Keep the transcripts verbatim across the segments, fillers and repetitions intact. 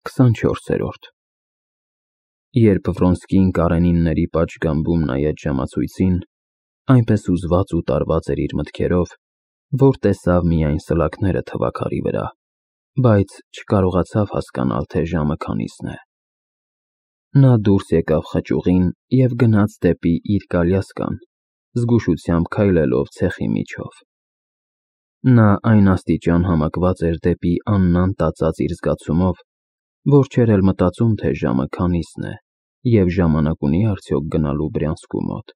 քսանչորսերորդ Երբ Վրոնսկին Կարենինների պատշգամբում նայեց ժամացույցին, այնպես հուզված ու տարված էր իր մտքերով, որ տեսավ միայն սլաքները թվաքարի վրա, բայց չկարողացավ հասկանալ, թե ժամը քանիսն է։ Նա դուրս եկավ խճուղին և գնաց դեպի իր կալյասկան, զգուշությամբ քայլելով ցեխի միջով։ Նա այն աստիճան համակված էր դեպի աննան տածած իր զգացումով, որ չէր էլ մտածում, թե ժամը քանիսն է և ժամանակ ունի արդյոք գնալու Բրյանսկու մոտ։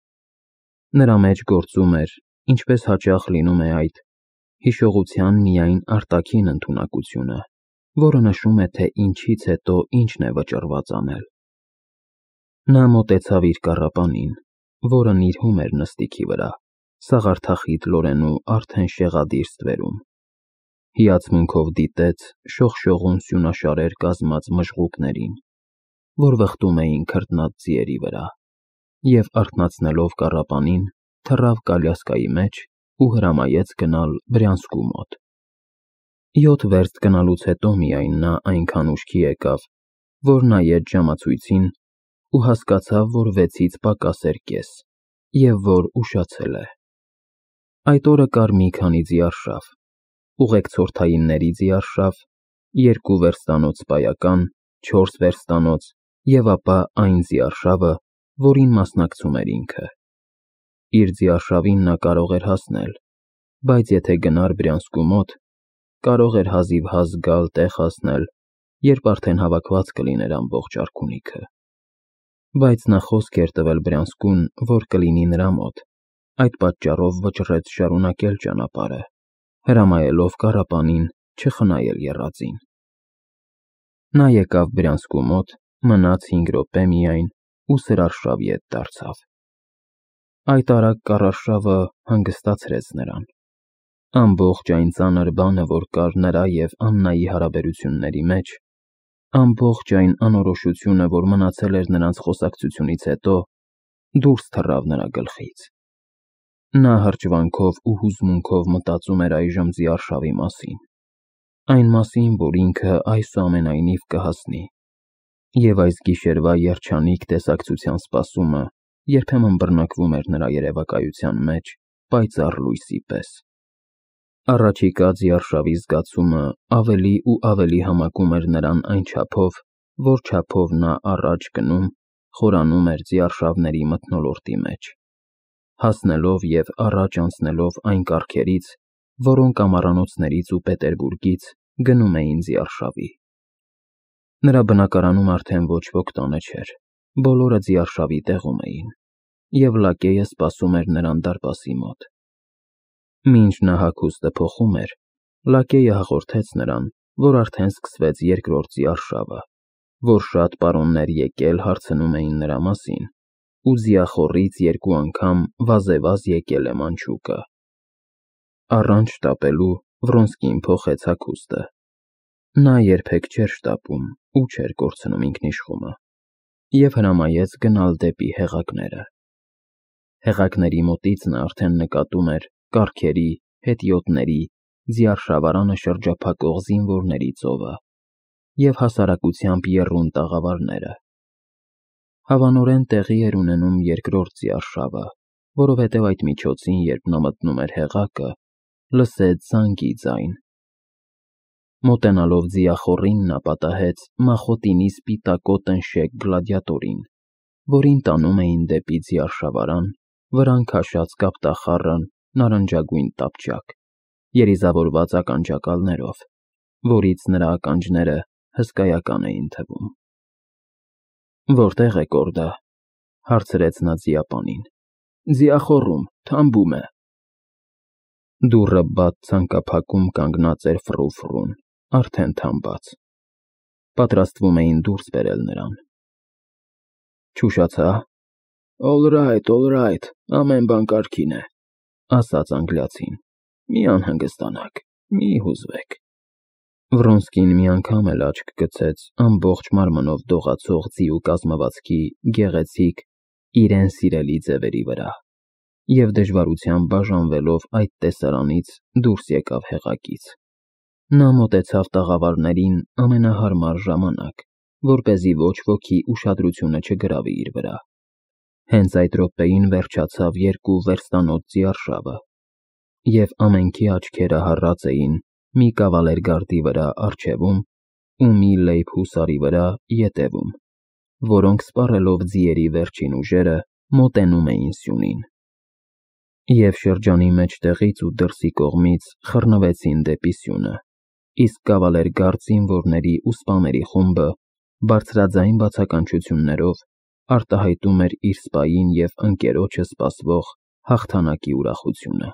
Նրա մեջ գործում էր, ինչպես հաճախ լինում է այդ, հիշողության միայն արտաքին ընդունակությունը, որը նշում է, թե ինչից հետո ինչն է վճռված անել։ Նա մոտեցավ իր կառապանին, որը նիրհում էր նստիքի վրա, սաղարթախիտ լորենու արդեն շեղադիր ստվերում։ Հիացմունքով դիտեց շողշողուն սյունաշարեր կազմած մժղուկներին, որ վխտում էին քրտնած ձիերի վրա, և արթնացնելով կառապանին, թռավ կալյասկայի մեջ ու հրամայեց գնալ Բրյանսկու մոտ։ Յոթ վերստ գնալուց հետո միայն նա այնքան ուշքի եկավ, որ նայեց ժամացույցին ու հասկացավ, որ վեցից պակաս էր կես, և որ ուշացել է։ Այդ օրը կար մի քանի ձիարշավ, ուղեկցորդայինների ձիարշավ, երկու վերստանոց սպայական, չորս վերստանոց և ապա այն ձիարշավը, որին մասնակցում էր ինքը։ Իր ձիարշավին նա կարող էր հասնել, բայց եթե գնար Բրյանսկու մոտ, կարող էր հազիվհազ գալ տեղ հասնել, երբ արդեն հավաքված կլիներ ամբողջ արքունիքը։ Բայց նա խոսք էր տվել Բրյանսկուն, որ կլինի նրա մոտ, այդ պատճառով վճռեց շարունակել ճանապարհը, հրամայելով կառապանին չխնայել եռածին։ Նա եկավ Բրյանսկու մոտ, մնաց հինգ րոպե միայն ու սրարշավ ետ դարձավ։ Այդ արագ կառարշավը հանգստացրեց նրան։ Ամբողջ այն ծանր բանը, որ կար նրա և Աննայի հարաբերությունների մեջ, ամբողջ այն անորոշությունը, որ մնացել էր նրանց խոսակցությունից հետո, դուրս թռավ նրա գլխից։ Նա հրճվանքով ու հուզմունքով մտածում էր այժմ ձիարշավի մասին, այն մասին, որ ինքը այսուամենայնիվ կհասնի, և այս գիշերվա երջանիկ տեսակցության սպասումը երբեմն բռնկվում էր նրա երևակայության մեջ պայծառ լույսի պես։ Առաջիկա ձիարշավի զգացումը ավելի ու ավելի համակում էր նրան այն չափով, որ չափով նա առաջ գնում, խորանում էր ձիարշավների մթնոլորտի մեջ, հասնելով և առաջ անցնելով այն կառքերից, որոնք ամառանոցներից ու Պետերբուրգից գնում էին ձիարշավի։ Նրա բնակարանում արդեն ոչ ոք տանը չէր, բոլորը ձիարշավի տեղում էին, և լակեյը սպասում էր նրան դարպասի մոտ։ Մինչ նա հագուստը փոխում էր, լակեյը հաղորդեց նրան, որ արդեն սկսվեց երկրորդ ձիարշավը, որ շատ պարոններ եկել հարցնում էին նրա մասին, ու ձիախոռից երկու անգամ վազեվազ եկել է մանչուկը։ Առանց շտապելու Վրոնսկին փոխեց հագուստը։ Նա երբեք չէր շտապում ու չէր կորցնում ինքնիշխումը, և հրամայեց գնալ դեպի հեղակները։ Հեղակների մոտից նա արդեն նկատում էր կառքերի, հետիոտների, ձիարշավարանը շրջափակող զինվորների ծովը և հասարակությամբ եռուն տաղավարները։ Հավանորեն տեղի էր ունենում երկրորդ ձիարշավը, որովհետև այդ միջոցին, երբ նա մտնում էր հեղակը, լսեց զանգի ձայն։ Մոտենալով ձիախոռին, նա պատահեց մախոտինի սպիտակո տնշեկ գլադիատորին, որին տանում էին դեպի ձիարշավարան վրան քաշած կապտախառն նարնջագույն տապճակ, երիզավորված ականջակալներով, որից նրա ականջները հսկայական էին թվում։ «Որտե՞ղ է կորդը», հարցրեց նա ձիապանին։ «Ձիախոռում, թամբում է»։ Դուռը բաց ցանկափակում կանգնած էր ֆռու-ֆռուն, արդեն թամբած։ Պատրաստվում էին դուրս բերել նրան։ «Չուշացա՞»։ «Օլ ռայթ, օլ ռայթ, ամեն բան կարգին է», ասաց անգլիացին։ «Մի անհանգստանաք, մի հուզվեք»։ Վրոնսկին մի անգամ էլ աչք գցեց ամբողջ մարմնով դողացող ձիու կազմվածքի գեղեցիկ, իրեն սիրելի ձևերի վրա, և դժվարությամբ բաժանվելով այդ տեսարանից դուրս եկավ հեղակից։ Նա մոտեցավ տաղավարներին ամենահարմար ժամանակ, որպեսզի ոչ ոքի ուշադրությունը չգրավի իր վրա։ Հենց այդ րոպեին վերջացավ երկու վերստանոց ձիարշավը, և ամենքի աչքերը հառած էին մի կավալերգարդի վրա առջևում ու մի լեյբ հուսարի վրա ետևում, որոնք սպառելով ձիերի վերջին ուժերը մոտենում էին սյունին։ Եվ շրջանի մեջտեղից ու դրսի կողմից խռնվեցին դեպի սյունը, իսկ կավալերգարդ զինվորների ու սպաների խումբը բարձրաձայն բացականչություններով արտահայտում էր իր սպային և ընկերոջը սպասվող հաղթանակի ուրախությունը։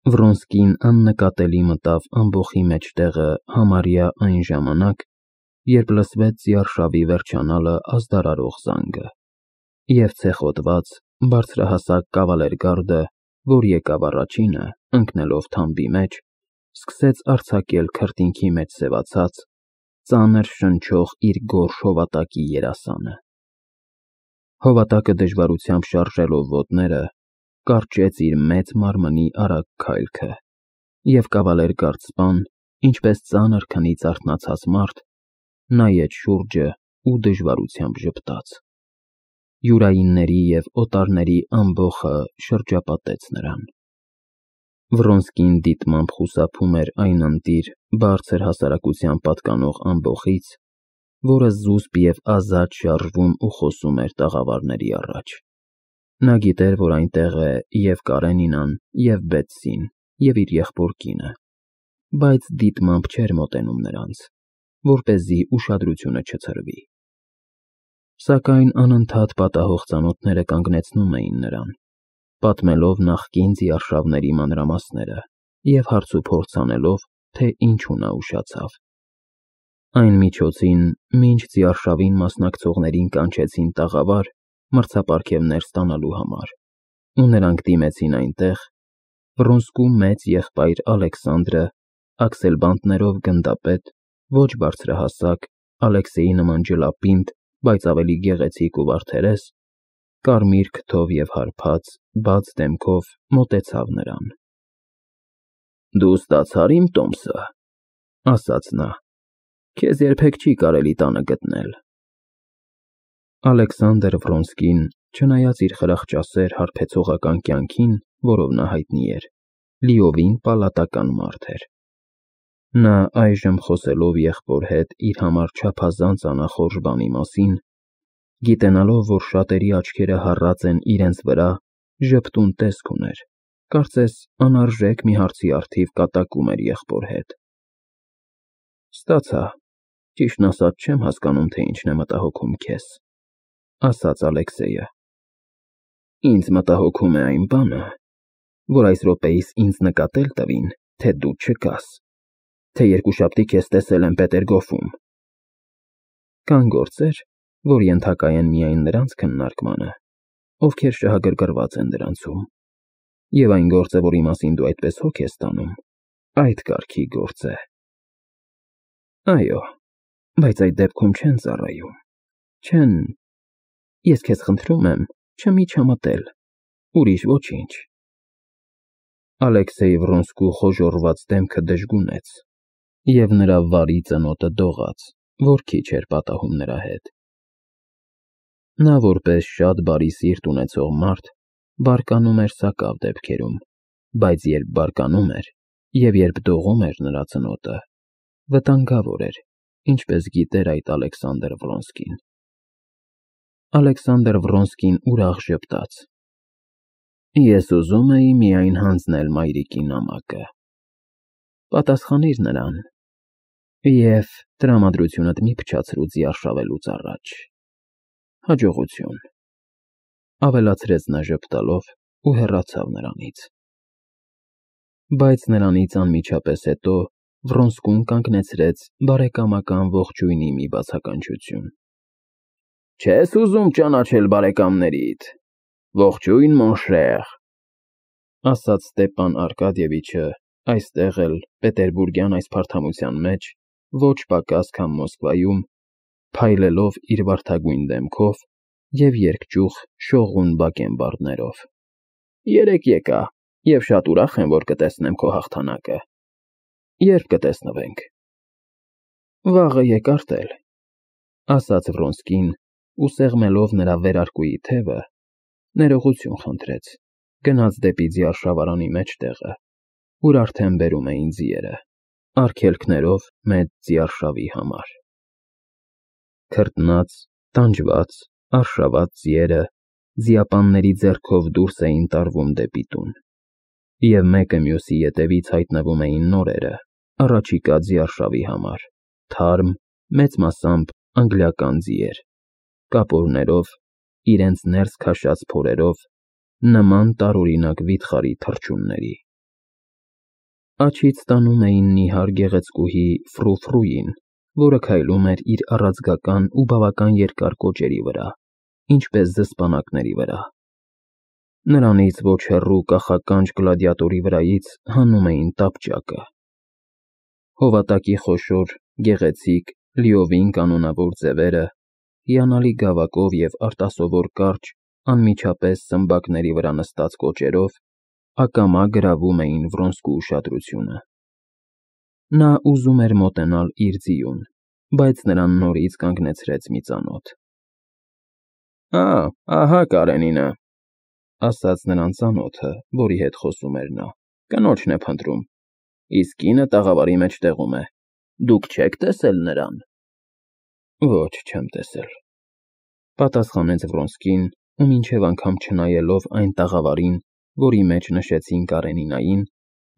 Վրոնսկին աննկատելի մտավ ամբոխի մեջտեղը համարյա այն ժամանակ, երբ լսվեց ձիարշավի վերջանալը ազդարարող զանգը, և ցեխոտված, բարձրահասակ կավալերգարդը, որ եկավ առաջինը, ընկնելով թամբի մեջ, սկսեց արձակել քրտինքի մեջ սևացած, ծանր շնչող իր գորշ հովատակի երասանը։ Հովատակը դժվարությամբ շարժելով ոտները, կարճեց իր մեծ մարմնի արագ քայլքը, և կավալերգարդ սպան, ինչպես ծանր քնից արթնացած մարդ, նայեց շուրջը ու դժվարությամբ ժպտաց։ Յուրայինների և օտարների ամբոխը շրջապատեց նրան։ Վրոնսկին դիտմամբ խուսափում էր այն ընտիր, բարձր հասարակության պատկանող ամբոխից, որը զուսպ և ազատ շարժվում ու խոսում էր տաղավարների առաջ։ Նա գիտեր, որ այնտեղ է և Կարենինան, և Բեթսին, և իր եղբոր կինը, բայց դիտմամբ չէր մոտենում նրանց, որպեսզի ուշադրությունը չցրվի։ Սակայն անընդհատ պատահող ծանոթները կանգնեցնում էին նրան, պատմելով նախկին ձիարշավների մանրամասները և հարցուփորձ անելով, թե ինչու նա ուշացավ։ Այն միջոցին, մինչ ձիարշավին մասնակցողներին կանչեցին տաղավար մրցապարգևներ ստանալու համար, ու նրանք դիմեցին այնտեղ, Վրոնսկու մեծ եղբայր Ալեքսանդրը աքսելբանտներով գնդապետ, ոչ բարձրահասակ, Ալեքսեյի նման ջլապինդ, բայց ավելի գեղեցիկ ու վարդերես, կարմիր քթով և հարբած, բաց դեմքով մոտեցավ նրան։ Դու ստացա՞ր իմ տոմսը, ասաց նա, քեզ երբեք չի կարելի տանը գտնել։ Ալեքսանդր Վրոնսկին, չնայած իր խրախճասեր հարբեցողական կյանքին, որով նա հայտնի էր, լիովին պալատական մարդ էր։ Նա այժմ խոսելով եղբոր հետ իր համար չափազանց անախորժ բանի մասին, գիտենալով, որ շատերի աչքերը հառած են իրենց վրա, ժպտուն տեսք ուներ, կարծես անարժեք մի հարցի առթիվ կատակում էր եղբոր հետ։ Ստացա, ճիշտն ասած չեմ հասկանում, թե ինչն է մտահոգում քեզ, ասաց Ալեքսեյը։ Ինձ մտահոգում է այն բանը, որ այս րոպեիս ինձ նկատել տվին, թե դու չկաս, թե երկուշաբթի քեզ տեսել եմ Պետերգոֆում։ Կան գործեր, որ ենթակա են միայն նրանց քննարկմանը, ովքեր շահագրգռված են դրանցում, և այն գործը, որի մասին դու այդպես հոգ ես տանում, այդ կարգի գործ է։ Այո, բայց այդ դեպքում չեն ծառայում, չեն… Ես քեզ խնդրում եմ, չմիջամտել, ուրիշ ոչինչ։ Ալեքսեյ Վրոնսկու խոժոռված դեմքը դժգունեց, և նրա վարի ծնոտը դողաց, որ քիչ էր պատահում նրա հետ։ Նա, որպես շատ բարի սիրտ ունեցող մարդ, բարկանում էր սակավ դեպքերում, բայց երբ բարկանում էր, և երբ դողում էր նրա ծնոտը, վտանգավոր էր, ինչպես գիտեր այդ Ալեքսանդր Վրոնսկին։ Ալեքսանդր Վրոնսկին ուրախ ժպտաց։ Ես ուզում էի միայն հանձնել մայրիկի նամակը։ Պատասխանիր նրան և տրամադրությունդ մի փչացրու ձիարշավելուց առաջ։ Հաջողություն, ավելացրեց նա ժպտալով ու հեռացավ նրանից։ Բայց նրանից անմիջապես հետո Վրոնսկուն կանգնեցրեց բարեկամական ողջույնի մի բացականչություն։ Չե՞ս ուզում ճանաչել բարեկամներիդ, ողջույն, մոնշեր, ասաց Ստեպան Արկադիևիչը, այստեղ էլ, պետերբուրգյան այս փարթամության մեջ, ոչ պակաս, քան Մոսկվայում, փայլելով իր վարդագույն դեմքով և երկճյուղ շողուն բակենբարդներով։ Երեկ եկա, և շատ ուրախ եմ, որ կտեսնեմ քո հաղթանակը։ Երբ կտեսնվենք։ Վաղը եկ արտել, ասաց Վրոնսկին ու սեղմելով նրա վերարկուի թևը, ներողություն խնդրեց, գնաց դեպի ձիարշավարանի մեջտեղը, ուր արդեն բերում էին ձիերը, արգելքներով մեծ ձիարշավի համար։ Քրտնած, տանջված, արշաված ձիերը ձիապանների ձեռքով դուրս էին տարվում դեպի տուն, և մեկը մյուսի ետևից հայտնվում էին նորերը, առաջիկա ձիարշավի համար, թարմ, մեծ մասամբ անգլիական ձիեր, կապորներով, իրենց ներս քաշած փորերով, նման տարօրինակ վիթխարի թռչունների։ Աջից տանում էին նիհար գեղեցկուհի Ֆրու֊Ֆրուին, որը քայլում էր իր առաձգական ու բավական երկար կոճերի վրա, ինչպես զսպանակների վրա։ Նրանից ոչ հեռու կախականջ գլադիատորի վրայից հանում էին տապճակը։ Հովատակի խոշոր, գեղեցիկ, լիովին կանոնավոր ձևերը, հիանալի գավակով և արտասովոր կարճ, անմիջապես սմբակների վրա նստած կոճերով ակամա գրավում էին Վրոնսկու ուշադրությունը։ Նա ուզում էր մոտենալ իր ձիուն, բայց նրան նորից կանգնեցրեց մի ծանոթ։ Ա, ահա Կարենինը, ասաց նրան ծանոթը, որի հետ խոսում էր նա, կնոջն է փնտրում, իսկ կինը տաղավարի մեջտեղում է, դուք չե՞ք տեսել նրան։ Ոչ, չեմ տեսել, պատասխանեց Վրոնսկին ու մինչև անգամ չնայելով այն տաղավարին, որի մեջ նշեցին Կարենինային,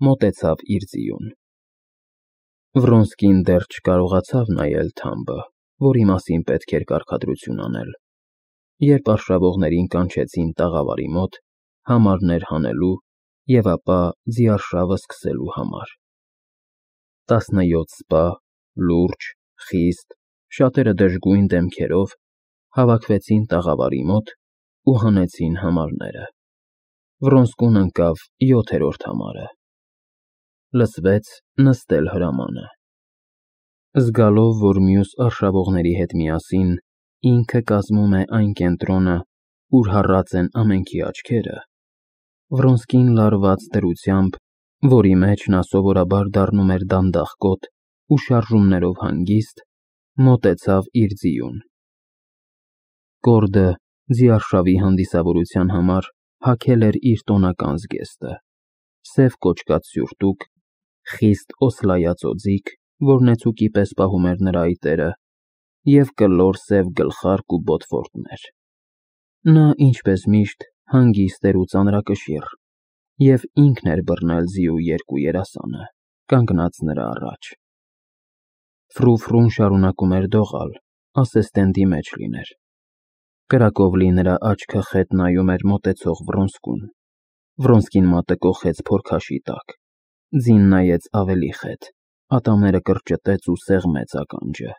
մոտեցավ իր ձիուն։ Վրոնսկին դեռ չկարողացավ նայել թամբը, որի մասին պետք էր կարգադրություն անել, երբ արշավողներին կանչեցին տաղավարի մոտ համարներ հանելու և ապա ձիարշավը սկսելու համար։ Տասնյոթ սպա, լուրջ, խիստ, շատերը դժգույն դեմքերով հավաքվեցին տաղավարի մոտ ու հանեցին համարները։ Վրոնսկուն ընկավ յոթերորդ համարը։ Լսվեց նստել հրամանը։ Զգալով, որ մյուս արշավողների հետ միասին ինքը կազմում է այն կենտրոնը, ուր հառած են ամենքի աչքերը, Վրոնսկին լարված դրությամբ, որի մեջ նա սովորաբար դառնում էր դանդաղկոտ ու շարժումներով հանգիստ, մոտեցավ իր ձիուն։ Կորդը ձիարշավի հանդիսավորության համար հագել էր իր տոնական զգեստը՝ սև կոճկած սյուրտուկ, խիստ օսլայած օձիք, որ նեցուկի պես պահում էր նրա այտերը, և կլոր սև գլխարկ ու բոտֆորտներ։ Նա, ինչպես միշտ, հանգիստ էր ու ծանրակշիռ, և ինքն էր բռնել ձիու երկու երասանը, կանգնած նրա առաջ։ Ֆրու֊Ֆրուն շարունակում էր դողալ, ասես տենդի մեջ լիներ։ Կրակով լի նրա աչքը խետ նայում էր մոտեցող Վրոնսկուն։ Վրոնսկին մատը կոխեց փորքաշի տակ, ձին նայեց ավելի խետ, ատամները կրճտեց ու սեղմեց ականջը։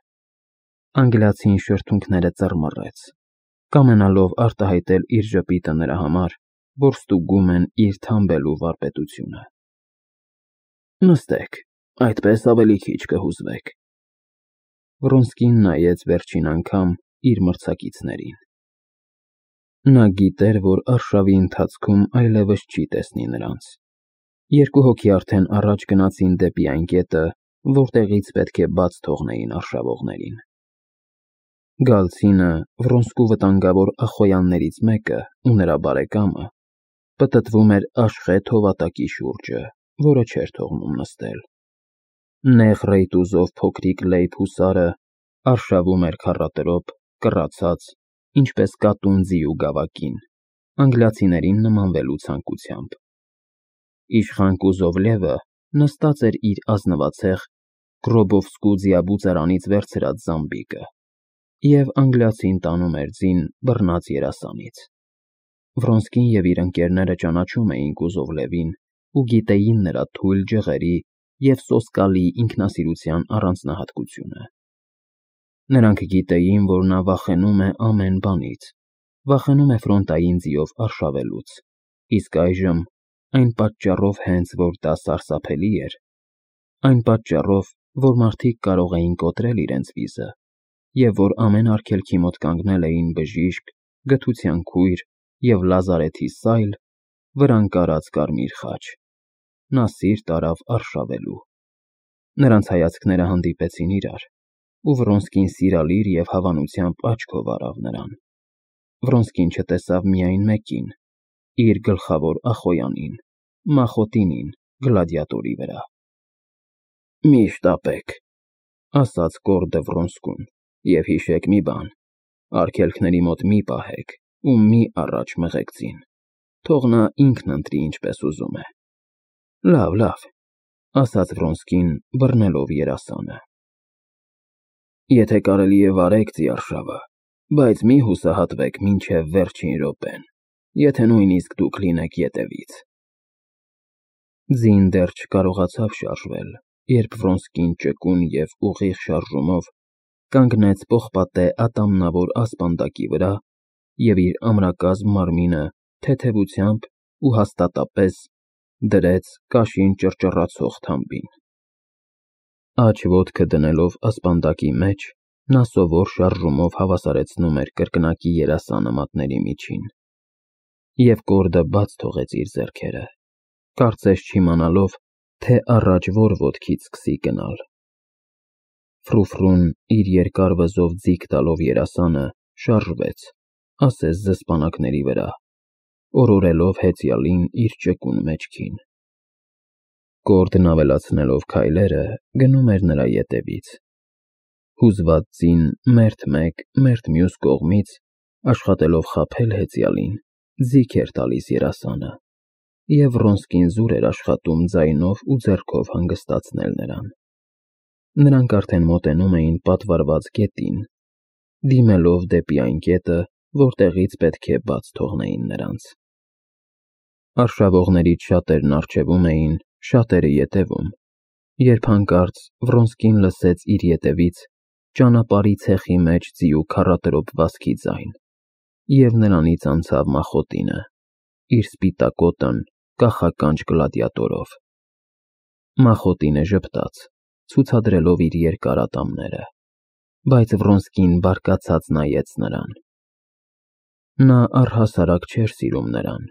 Անգլիացին շրթունքները ծռմռեց, կամենալով արտահայտել իր ժպիտը նրա համար, որ ստուգում են իր թամբելու վարպետությունը։ Նստեք, այդպես ավելի քիչ կհուզվեք։ Վրոնսկին նայեց վերջին անգամ իր մրցակիցներին։ Նա գիտեր, որ արշավի ընթացքում այլևս չի տեսնի նրանց։ Երկու հոգի արդեն առաջ գնացին դեպի այն կետը, որտեղից պետք է բաց թողնեին արշավողներին։ Գալցինը, Վրոնսկու վտանգավոր ախոյաններից մեկը ու նրա բարեկամը պտտվում էր աշխեհ հովատակի շուրջը, որը չէր թողնում նստել։ Նեղ ռեյտուզով փոքրիկ լեյբ հուսարը արշավում էր քառատրոպ, կռացած, ինչպես կատուն ձիու գավակին, անգլիացիներին նմանվելու ցանկությամբ։ Իշխան Կուզովլևը նստած էր իր ազնվացեղ Գրոբովսկու ձիաբուծարանից վերցրած զամբիկը, և անգլիացին տանում էր ձին բռնած երասանից։ Վրոնսկին և իր ընկերները ճանաչում էին Կուզովլևին ու գիտեին նրա թույլ ջղերի և սոսկալի ինքնասիրության առանձնահատկությունը։ Նրանք գիտեին, որ նա վախենում է ամեն բանից, վախենում է ֆրոնտային ձիով արշավելուց, իսկ այժմ, այն պատճառով հենց, որ դա սարսափելի էր, այն պատճառով, որ մարդիկ կարող էին կոտրել իրենց վիզը, և որ ամեն արգելքի մոտ կանգնել էին բժիշկ, գթության քույր և լազարեթի սայլ, վրան կարած կարմիր խաչ, նա սիրտ արավ արշավելու։ Նրանց հայացքները հանդիպեցին իրար, ու Վրոնսկին սիրալիր և հավանությամբ աչքով առավ նրան։ Վրոնսկին չտեսավ միայն մեկին, իր գլխավոր ախոյանին, Մախոտինին, գլադիատորի վրա։ «Մի՛ շտապեք», ասաց Գորդը Վրոնսկուն, «և հիշեք մի բան. արգելքների մոտ մի պահեք ու մի առաջ մղեք ձին, թող նա ինքն ընտրի ինչպես ուզում է»։ «Լավ, լավ», ասաց Վրոնսկին, բռնելով երասանը։ «Եթե կարելի է վարեք ծիարշավը, բայց մի հուսահատվեք մինչև վերջին րոպեն, եթե նույնիսկ դուք լինեք ետևից»։ Ձին դեռ չկարողացավ շարժվել, երբ Վրոնսկին ճկուն և ուղիղ շարժումով կանգնեց պողպատե ատամնավոր ասպանդակի վրա և իր ամրակազմ մարմինը թեթևությամբ ու հաստատապես դրեց կաշին ճռճռացող թամբին։ Աջ ոտքը դնելով ասպանդակի մեջ, նա սովոր շարժումով հավասարեցնում էր կրկնակի երասանը մատների միջին, և Գորդը բաց թողեց իր ձեռքերը, կարծես չիմանալով, թե առաջ որ ոտքից սկսի գնալ։ Ֆրուֆրուն, իր երկար վզով ձիգ տալով երասանը, շարժվեց, ասես զսպանակների վրա, օրորելով հեծյալին իր ճկուն մեջքին։ Գորդն ավելացնելով քայլերը, գնում էր նրա ետևից։ Հուզված ձին մերթ մեկ, մերթ մյուս կողմից, աշխատելով խաբել հեծյալին, ձիգ էր տալիս երասանը, և Վրոնսկին զուր էր աշխատում ձայնով ու ձեռքով հանգստացնել նրան։ Նրանք արդեն մոտենում էին պատվարված գետին, դիմելով դեպի այն կետը, որտեղից պետք է բաց թողնեին նրանց։ Արշավողներից շատերն առջևում էին, շատերը ետևում, երբ հանկարծ Վրոնսկին լսեց իր ետևից ճանապարհի ցեխի մեջ ձիու քառատրոփ վազքի ձայն, և նրանից անցավ Մախոտինը, իր սպիտակ օդն կախականջ գլադիատորով։ Մախոտինը ժպտաց, ցուցադրելով իր երկար ատամները, բայց Վրոնսկին բարկացած նայեց նրան։ Նա առհասարակ չէր սիրում նրան,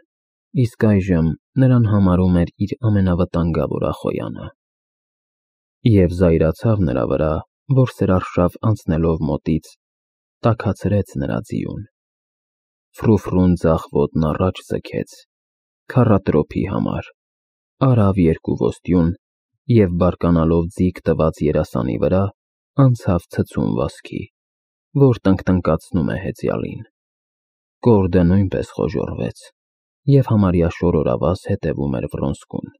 իսկ այժմ նրան համարում էր իր ամենավտանգավոր ախոյանը, և զայրացավ նրա վրա, որ սրարշավ անցնելով մոտից, տաքացրեց նրա ձիուն։ Ֆրուֆրուն ձախ ոտն առաջ ձգեց, քառատրոփի համար, արավ երկու ոստյուն և բարկանալով ձիգ տված երասանի վրա, անցավ ցցուն վազքի, որ տնկտնկացնում է հեծյալին։ Գորդը նույնպես խոժոռվեց և համարյա շորորավազ հետևում էր Վրոնսկուն։